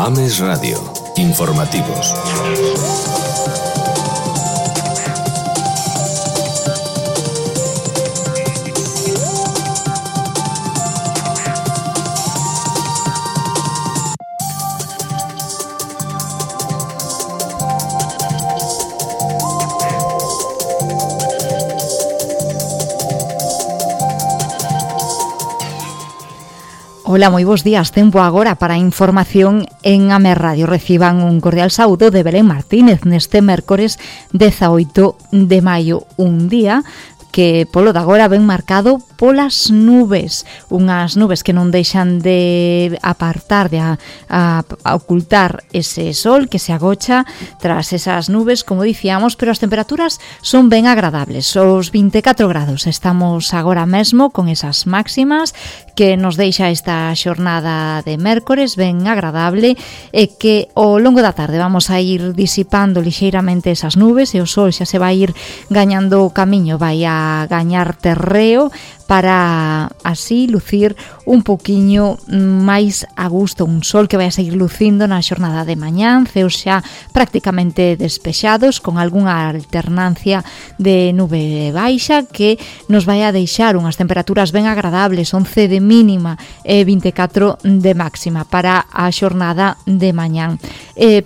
Ames Radio. Informativos. Ola, moi bons días. Tempo agora para a información en Ames Radio. Reciban un cordial saúdo de Belén Martínez neste mércores 18 de maio, un día que polo de agora ven marcado polas nubes, unhas nubes que non deixan de apartar, de ocultar ese sol que se agocha tras esas nubes, como dicíamos, pero as temperaturas son ben agradables, os 24 grados. Estamos agora mesmo con esas máximas que nos deixa esta xornada de mércores ben agradable e que ao longo da tarde vamos a ir disipando lixeiramente esas nubes e o sol xa se vai ir gañando o camiño, vai a gañar terreo para así lucir un poquiño máis a gusto, un sol que vai a seguir lucindo na xornada de mañán, ceos xa prácticamente despexados con algunha alternancia de nube baixa que nos vai a deixar unhas temperaturas ben agradables, 11 de mínima e 24 de máxima para a xornada de mañán.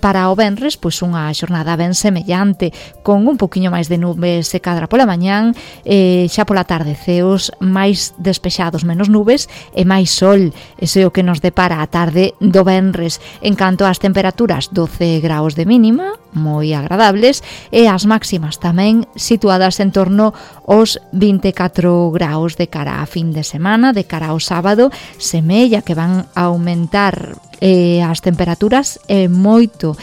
Para o venres, pois unha xornada ben semellante, con un poquiño máis de nubes se cadra pola mañán, xa pola tarde ceos máis despexados, menos nubes e máis sol. Ese é o que nos depara a tarde do venres. En canto ás temperaturas, 12 graus de mínima, moi agradables, e as máximas tamén situadas en torno aos 24 graus de cara a fin de semana, de cara ao sábado, semella que van a aumentar as temperaturas moito.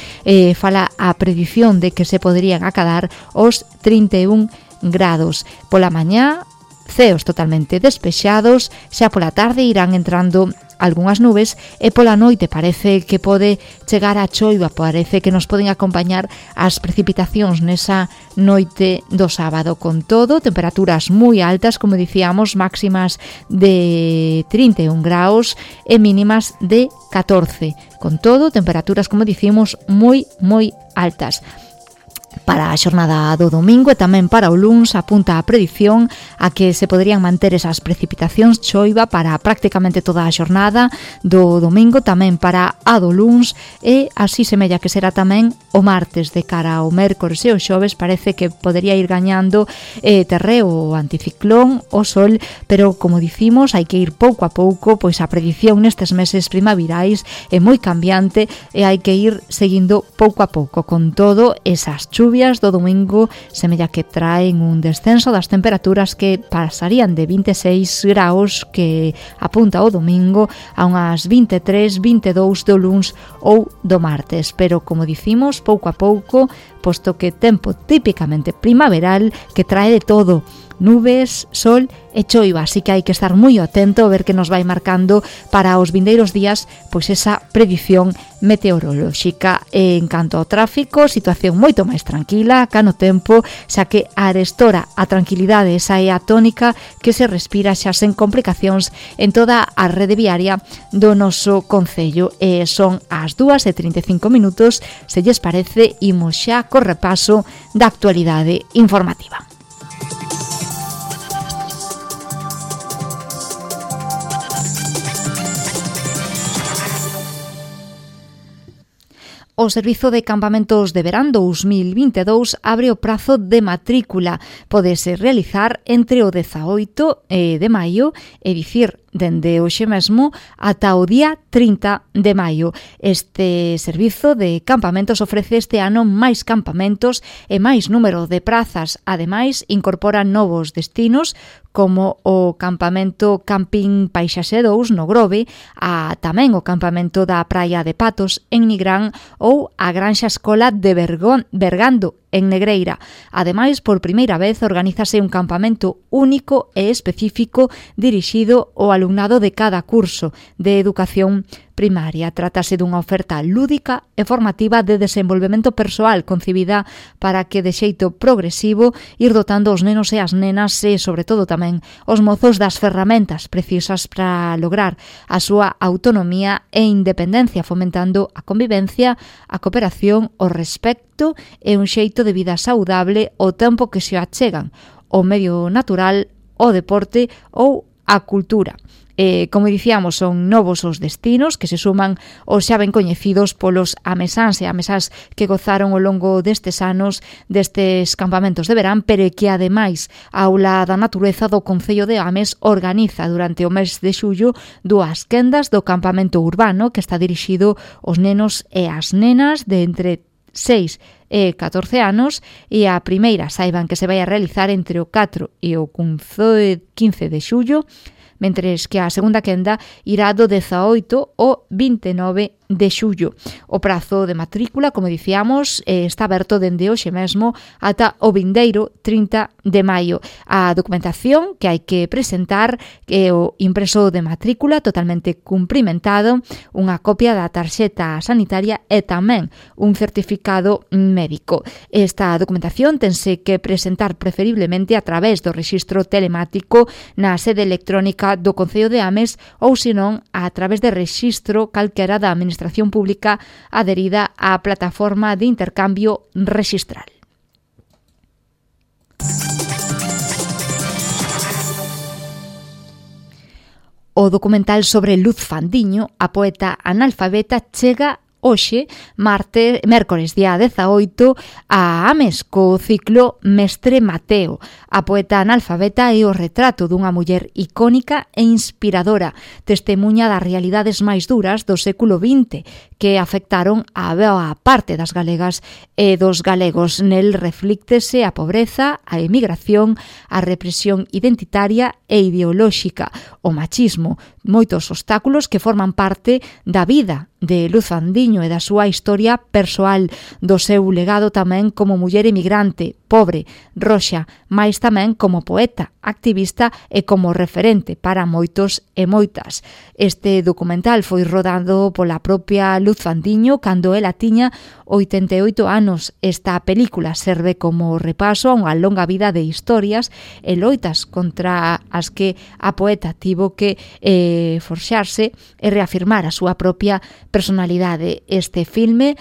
Fala a predición de que se poderían acadar os 31 grados. Pola mañá, ceos totalmente despexados, xa pola tarde irán entrando algunhas nubes e pola noite parece que pode chegar a choiva, parece que nos poden acompañar as precipitacións nesa noite do sábado. Con todo, temperaturas moi altas, como dicíamos, máximas de 31 graus e mínimas de 14. Con todo, temperaturas, como dicimos, moi altas. Para a xornada do domingo e tamén para o luns apunta a predición a que se poderían manter esas precipitacións, choiva para prácticamente toda a xornada do domingo, tamén para a do luns e así semella que será tamén o martes. De cara ao mércores e o xoves parece que podería ir gañando terreo o anticiclón, o sol, pero como dicimos hai que ir pouco a pouco, pois a predición nestes meses primaverais é moi cambiante e hai que ir seguindo pouco a pouco. Con todo, esas chuvias do domingo semella que traen un descenso das temperaturas que pasarían de 26 graus que apunta o domingo a unhas 23, 22 do luns ou do martes, pero como dicimos, pouco a pouco, posto que tempo típicamente primaveral que trae de todo, nubes, sol e choiva, así que hai que estar moi atento a ver que nos vai marcando para os vindeiros días pois esa predición meteorolóxica. En canto ao tráfico, situación moito máis tranquila, cá no tempo, xa que arestora a tranquilidade, esa é a tónica que se respira xa sen complicacións en toda a rede viaria do noso concello. Son as 2:35 minutos, se lles parece, imos xa co repaso da actualidade informativa. O Servizo de Campamentos de Verán 2022 abre o prazo de matrícula. Pódese realizar entre o 18 de maio, é dicir, dende hoxe mesmo ata o día 30 de maio. Este servizo de campamentos ofrece este ano máis campamentos e máis número de prazas. Ademais, incorpora novos destinos como o campamento Camping Paisaxe 2 no Grove, tamén o campamento da Praia de Patos en Nigrán ou a Granxa Escola de Bergando en Negreira. Ademais, por primeira vez organízase un campamento único e específico dirixido ao alumnado de cada curso de educación primaria. Trátase dunha oferta lúdica e formativa de desenvolvemento persoal concibida para que de xeito progresivo ir dotando os nenos e as nenas e, sobre todo, tamén os mozos das ferramentas precisas para lograr a súa autonomía e independencia, fomentando a convivencia, a cooperación, o respecto e un xeito de vida saudable ao tempo que se achegan o medio natural, o deporte ou a cultura. Como dicíamos, son novos os destinos que se suman aos xa ben coñecidos polos amesáns e amesás que gozaron ao longo destes anos destes campamentos de verán, pero que ademais a Aula da Natureza do Concello de Ames organiza durante o mes de xullo 2 quendas do campamento urbano que está dirixido aos nenos e as nenas de entre 6 e 14 anos, e a primeira saiban que se vai a realizar entre o 4 e o 15 de xullo, mentres que a segunda quenda irá do 18 ao 29 de xullo. O prazo de matrícula, como dicíamos, está aberto dende hoxe mesmo ata o vindeiro 30 de maio. A documentación que hai que presentar é o impreso de matrícula totalmente cumprimentado, unha copia da tarxeta sanitaria e tamén un certificado médico. Esta documentación tense que presentar preferiblemente a través do rexistro telemático na sede electrónica do Concello de Ames ou, senón, a través de rexistro calquera da Administración Pública adherida á plataforma de intercambio rexistral. O documental sobre Luz Fandiño, a poeta analfabeta, chega hoxe, mércores día 18, a Ames co ciclo Mestre Mateo. A poeta analfabeta é o retrato dunha muller icónica e inspiradora, testemuña das realidades máis duras do século XX que afectaron a boa parte das galegas e dos galegos. Nel reflíctese a pobreza, a emigración, a represión identitaria e ideolóxica, o machismo, moitos obstáculos que forman parte da vida de Luz Fandiño e da súa historia persoal, do seu legado tamén como muller emigrante, pobre, roxa, mais tamén como poeta, activista e como referente para moitos e moitas. Este documental foi rodado pola propia Luz Fandiño cando ela tiña 88 anos. Esta película serve como repaso a unha longa vida de historias e loitas contra as que a poeta tivo que forxarse e reafirmar a súa propia personalidade. Este filme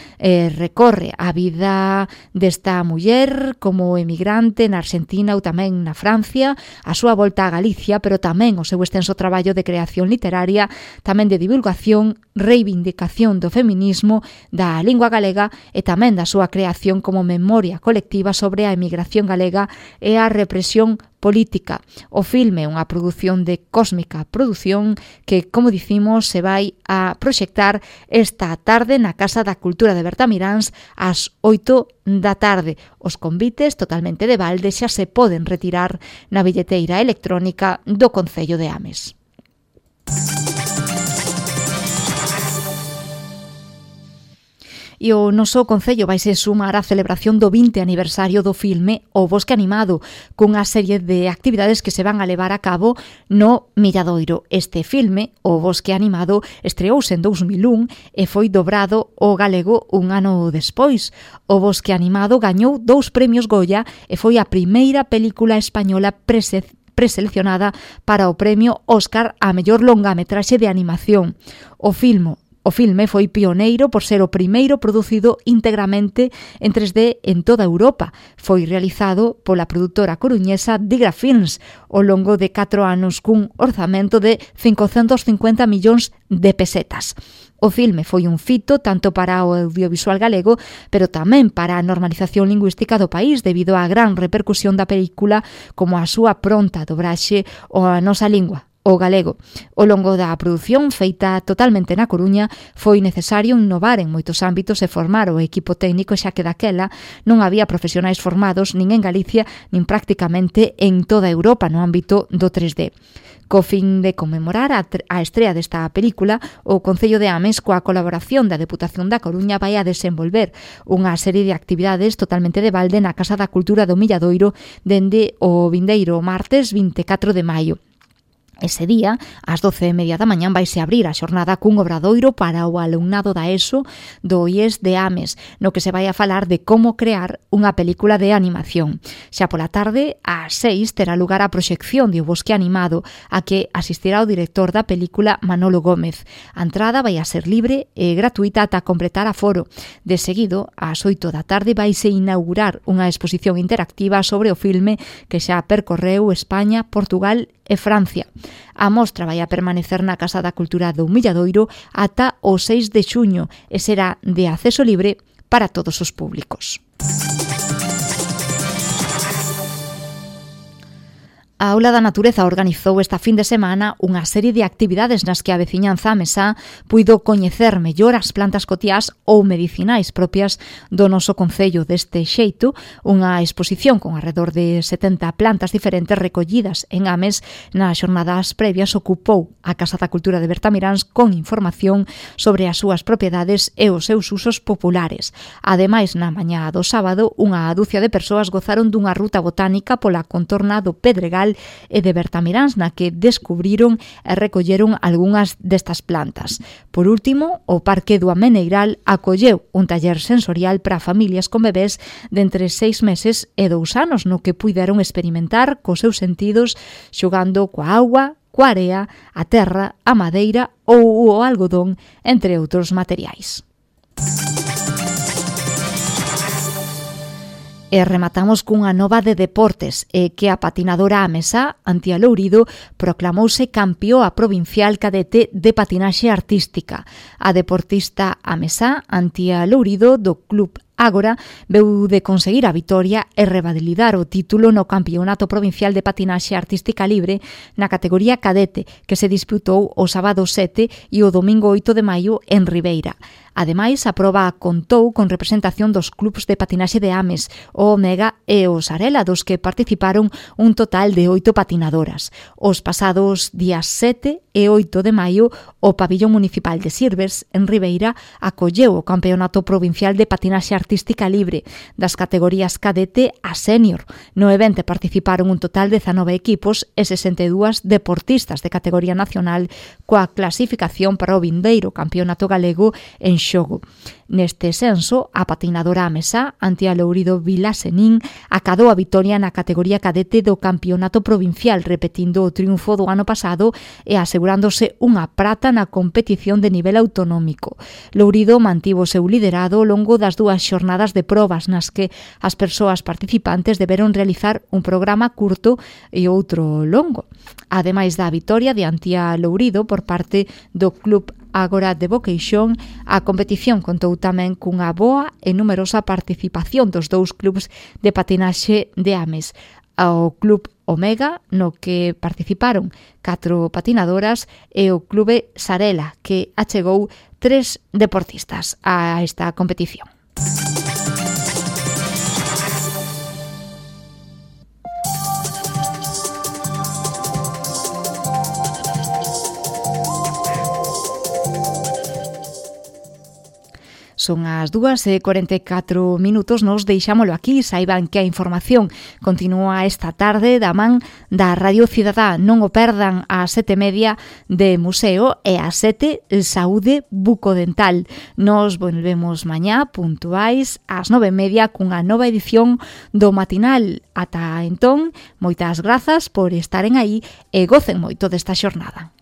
recorre a vida desta muller como emigrante na Argentina ou tamén na Francia, a súa volta a Galicia, pero tamén o seu extenso traballo de creación literaria, tamén de divulgación, reivindicación do feminismo, da lingua galega e tamén da súa creación como memoria colectiva sobre a emigración galega e a represión política. O filme é unha produción de Cósmica Produción que, como dicimos, se vai a proxectar esta tarde na Casa da Cultura de Bertamiráns ás 8 da tarde. Os convites totalmente de balde xa se poden retirar na billeteira electrónica do Concello de Ames. E o noso Concello vaise sumar á celebración do 20 aniversario do filme O Bosque Animado, cunha serie de actividades que se van a levar a cabo no Milladoiro. Este filme, O Bosque Animado, estreouse en 2001 e foi dobrado ao galego un ano despois. O Bosque Animado gañou 2 premios Goya e foi a primeira película española preseleccionada para o premio Óscar a mellor longametraxe de animación. O filme foi pioneiro por ser o primeiro producido íntegramente en 3D en toda Europa. Foi realizado pola produtora coruñesa Digra Films ao longo de 4 anos cun orzamento de 550 millóns de pesetas. O filme foi un fito tanto para o audiovisual galego, pero tamén para a normalización lingüística do país debido á gran repercusión da película como a súa pronta dobraxe á nosa lingua, o galego. Ao longo da produción, feita totalmente na Coruña, foi necesario innovar en moitos ámbitos e formar o equipo técnico, xa que daquela non había profesionais formados nin en Galicia nin prácticamente en toda Europa no ámbito do 3D. Co fin de conmemorar a estrea desta película, o Concello de Ames, coa colaboración da Deputación da Coruña, vai a desenvolver unha serie de actividades totalmente de balde na Casa da Cultura do Milladoiro dende o vindeiro martes 24 de maio. Ese día, ás 12:30 da mañán, vaise abrir a xornada cun obradoiro para o alumnado da ESO do IES de Ames, no que se vai a falar de como crear unha película de animación. Xa pola tarde, ás 6, terá lugar a proxección de O Bosque Animado, a que asistirá o director da película, Manolo Gómez. A entrada vai a ser libre e gratuita ata completar aforo. De seguido, ás 8 da tarde, vaise inaugurar unha exposición interactiva sobre o filme que xa percorreu España, Portugal e Francia. A mostra vai a permanecer na Casa da Cultura do Milladoiro ata o 6 de xuño e será de acceso libre para todos os públicos. A Aula da Natureza organizou esta fin de semana unha serie de actividades nas que a veciñanza amesá puido coñecer mellor as plantas cotiás ou medicinais propias do noso concello. Deste xeito, unha exposición con alrededor de 70 plantas diferentes recollidas en Ames nas xornadas previas ocupou a Casa da Cultura de Bertamiráns con información sobre as súas propiedades e os seus usos populares. Ademais, na mañá do sábado, unha dúcia de persoas gozaron dunha ruta botánica pola contorna do Pedregal e de Bertamiráns, na que descubriron e recolleron algunhas destas plantas. Por último, o Parque do Ameneiral acolleu un taller sensorial para familias con bebés de entre 6 meses e 2 anos, no que puideron experimentar cos seus sentidos xogando coa auga, coa area, a terra, a madeira ou o algodón, entre outros materiais. E rematamos cunha nova de deportes, que a patinadora amesá, Antía Lourido, proclamouse campioa provincial cadete de patinaxe artística. A deportista amesá, Antía Lourido, do Club Ágora, veu de conseguir a vitoria e revalidar o título no Campeonato Provincial de Patinaxe Artística Libre na categoría cadete, que se disputou o sábado 7 e o domingo 8 de maio en Ribeira. Ademais, a proba contou con representación dos clubs de patinaxe de Ames, o Omega e o Sarela, dos que participaron un total de 8 patinadoras. Os pasados días 7 e 8 de maio, o Pabillón Municipal de Sirves, en Ribeira, acolleu o Campeonato Provincial de Patinaxe Artística Libre das categorías cadete a sénior. No evento participaron un total de 19 equipos e 62 deportistas de categoría nacional, coa clasificación para o vindeiro Campeonato Galego en xogo. Neste senso, a patinadora amesá, Antía Lourido Vilasenín, acadou a vitoria na categoría cadete do Campeonato Provincial, repetindo o triunfo do ano pasado e asegurándose unha prata na competición de nivel autonómico. Lourido mantivo o seu liderado ao longo das 2 xornadas de probas, nas que as persoas participantes deberon realizar un programa curto e outro longo. Ademais da vitoria de Antía Lourido por parte do Club Ágora de Boqueixón, a competición contou tamén cunha boa e numerosa participación dos 2 clubs de patinaxe de Ames. Ao Club Omega, no que participaron 4 patinadoras, e o Clube Sarela, que achegou 3 deportistas a esta competición. Son as 2:44, nos deixámolo aquí. Saiban que a información continúa esta tarde da man da Radio Cidadá. Non o perdan ás 7:30 de Museo e ás 7 Saúde Bucodental. Nos volvemos mañá puntuais ás 9:30 cunha nova edición do matinal. Ata entón, moitas grazas por estaren aí e gocen moito desta xornada.